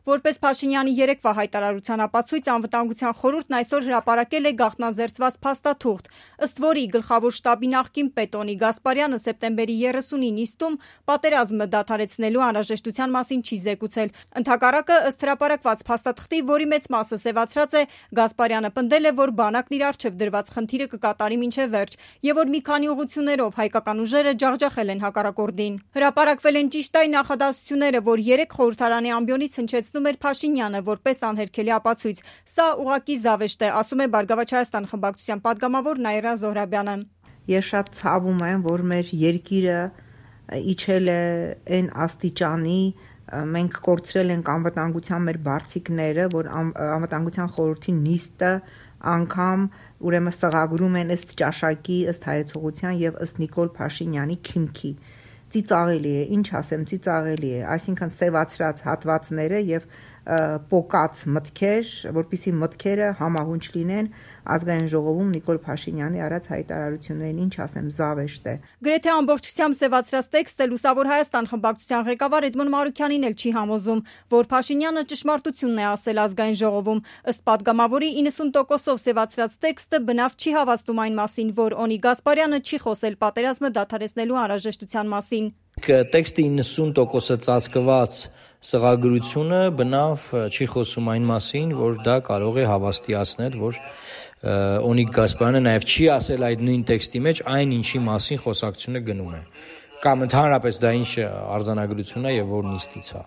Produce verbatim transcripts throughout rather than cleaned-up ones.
Որպես Փաշինյանի երեկվա հայտարարության ապացույց, Անվտանգության խորհուրդն այսօր հրապարակել է գաղտնազերծված փաստաթուղթ, ըստ որի գլխավոր շտաբի նախկին պետ Օնի Գասպարյանը սեպտեմբերի երեսունի նիստում պատերազմը դադարեցնելու անհրաժեշտության մասին չի զեկուցել։ Ընդհակառակը, ըստ հրապարակված փաստաթղթի, որի մեծ մասը սևացրած է, Գասպարյանը պնդել է, որ բանակն իր առջև դրված խնդիրը կկատարի մինչև վերջ եւ որ մի քանի ուղղություններով հայկական ուժերը ջախջախել են հակառակորդին։ Հրապարակվել են ճիշտ այն նախադասությունները, որ երեք խորհրդարանի ամբիոնից հնչեցնում էր Փաշինյանը որպես անհերքելի ապացույց։ Սա ուղղակի զավեշտ է, ասում է Բարգավաճ Հայաստան խմբակցության падգամավոր Նաիրա Զոհրաբյանը։ Ես շատ ցավում եմ, որ մեր երկիրը իջել է այն աստիճանի, մենք կորցրել ենք անվտանգության մեր բարձիկները, որ անվտանգության խորհրդի նիստը անգամ ուրեմն սղագրում են ըստ ճաշակի, ըստ հայեցողության եւ ըստ Նիկոլ Փաշինյանի քիմքի։ Ծիծաղելի է, ինչ ասեմ, ծիծաղելի է, այսինքն սևացրած հատվածները եւ պոկած մտքեր, որպիսի մտքերը համահունչ լինեն ազգային ժողովում Նիկոլ Փաշինյանի արած հայտարարություններին, ինչ ասեմ, զավեշտ է։ Գրեթե ամբողջությամբ սևացրած տեքստը Լուսավոր Հայաստան խմբակցության ղեկավար Էդմոն Մարուքյանին էլ չի համոզում, որ Փաշինյանը ճշմարտությունն է ասել ազգային ժողովում։ Ըստ падգամավորի իննսուն տոկոսով սևացրած տեքստը բնավ չի հավաստում այն մասին, որ Օնի Գասպարյանը չի խոսել պատերազմը դադարեցնելու անհրաժեշտության մասին։ Տեքստի իննսուն տոկոսը ծածկված սղագրությունը բնավ չի խոսում այն մասին, որ դա կարող է հավաստիացնել, որ Օնիկ Գասպարյանը նաև չի ասել այդ նույն տեքստի մեջ այն, ինչի մասին խոսակցությունը գնում է, կամ ընդհանրապես դա ինչ արձանագրություն է եւ որ նիստից է։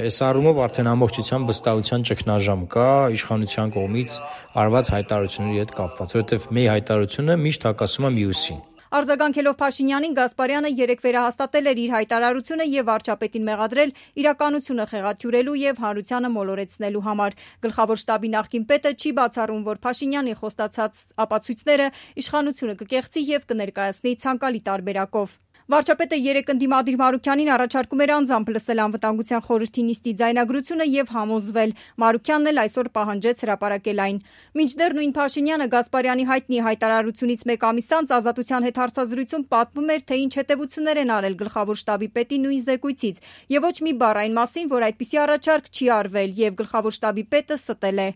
Այս առումով արդեն ամբողջությամբ վստահության ճգնաժամ կա իշխանության կողմից արված հայտարարությունների հետ կապված, որովհետեւ մի հայտարարությունը միշտ հակասում է մյուսին։ Արձագանքելով Փաշինյանին, Գասպարյանը երեկ վերահաստատել էր իր հայտարարությունը եւ վարչապետին մեղադրել իրականությունը խեղաթյուրելու եւ հանրությանը մոլորեցնելու համար։ Գլխավոր շտաբի նախկին պետը չի բացառում, որ Փաշինյանի խոստացած ապացույցները իշխանությունը կկեղծի եւ կներկայացնի ցանկալի տարբերակով։ Վարչապետը երեկ ընդդիմադիր Մարուքյանին առաջարկում էր անձամբ լսել Անվտանգության խորհրդի նիստի ձայնագրությունը եւ համոզվել։ Մարուքյանն էլ այսօր պահանջեց հրապարակել այն։ Մինչդեռ նույն Փաշինյանը Գասպարյանի հայտնի հայտարարությունից մեկ ամիս անց Ազատության հետ հարցազրույցում պատմում էր, թե ինչ հետևություններ են արել գլխավոր շտաբի պետի նույն զեկույցից եւ ոչ մի բառ այն մասին, որ այդպիսի առաջարկ չի արվել եւ գլխավոր շտաբի պետը ստել է։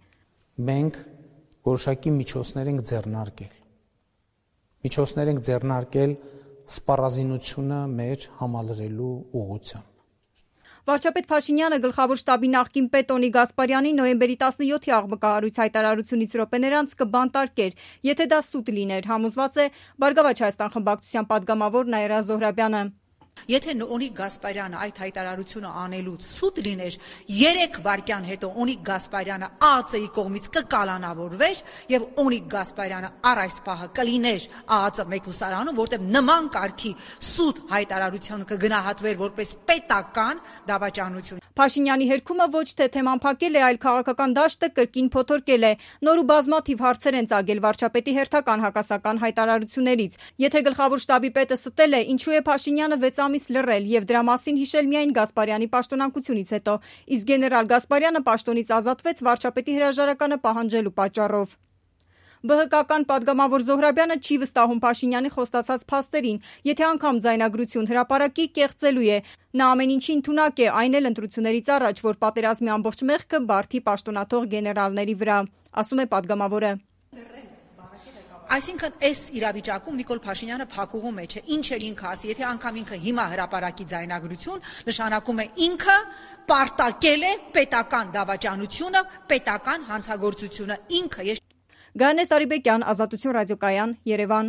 Մենք որոշակի միջոցներ ենք ձեռնարկել։ Միջոցներ ենք ձեռնարկել սպառազինությունը մեր համալրելու ուղղությամբ։ Վարչապետ Փաշինյանը գլխավոր շտաբի նախկին պետ Օնի Գասպարյանի նոյեմբերի տասնյոթի աղմկահարույց հայտարարությունից րոպեներ անց կբանտարկեր, եթե դա սուտ լիներ, համոզված է Բարգավաճ Հայաստան խմբակցության падգամավոր Նաիրա Զոհրաբյանը։ Եթե Օնիկ Գասպարյանը այդ հայտարարությունը անելուց սուտ լիներ, երեք վայրկյան հետո Օնիկ Գասպարյանը ԱԱԾ-ի կողմից կկալանավորվեր եւ Օնիկ Գասպարյանը առ այս պահը կլիներ ԱԱԾ մեկուսարանում, որտեղ նման կարգի սուտ հայտարարությունը կգնահատվեր որպես պետական դավաճանություն։ Փաշինյանի հերքումը ոչ թե թեման փակել է, այլ քաղաքական դաշտը կրկին փոթորկել է։ Նոր ու բազմաթիվ հարցեր են ծագել վարչապետի հերթական հակասական հայտարարություններից։ Եթե գլխավոր շտաբի պետը ստել է, ինչու է Փաշինյանը վեց ամիս լռել եւ դրա մասին հիշել միայն Գասպարյանի պաշտոնակությունից հետո, իսկ գեներալ Գասպարյանը պաշտոնից ազատվեց վարչապետի հրաժարականը պահանջելու պատճառով։ ԲՀԿ-ական падգամավոր Զոհրաբյանը չի վստահում Փաշինյանի խոստացած փաստերին, եթե անգամ ձայնագրություն հրապարակի, կեղծելու է։ Նա ամեն ինչին ընդունակ է, այն էլ ընտրություններից առաջ, որ պատերազմի ամբողջ մեղքը բարդի պաշտոնաթող գեներալների վրա, ասում է падգամավորը։ Այսինքն այս իրավիճակում Նիկոլ Փաշինյանը փակուղու մեջ է, ինչ էր ինքը ասի, եթե անգամ ինքը հիմա հրապարակի ձայնագրություն, նշանակում է ինքը պարտակել է պետական դավաճանությունը, պետական հանցագործությունը, ինքը։ Գայանե Սարիբեկյան, Ազատություն ռադիոկայան, Երևան։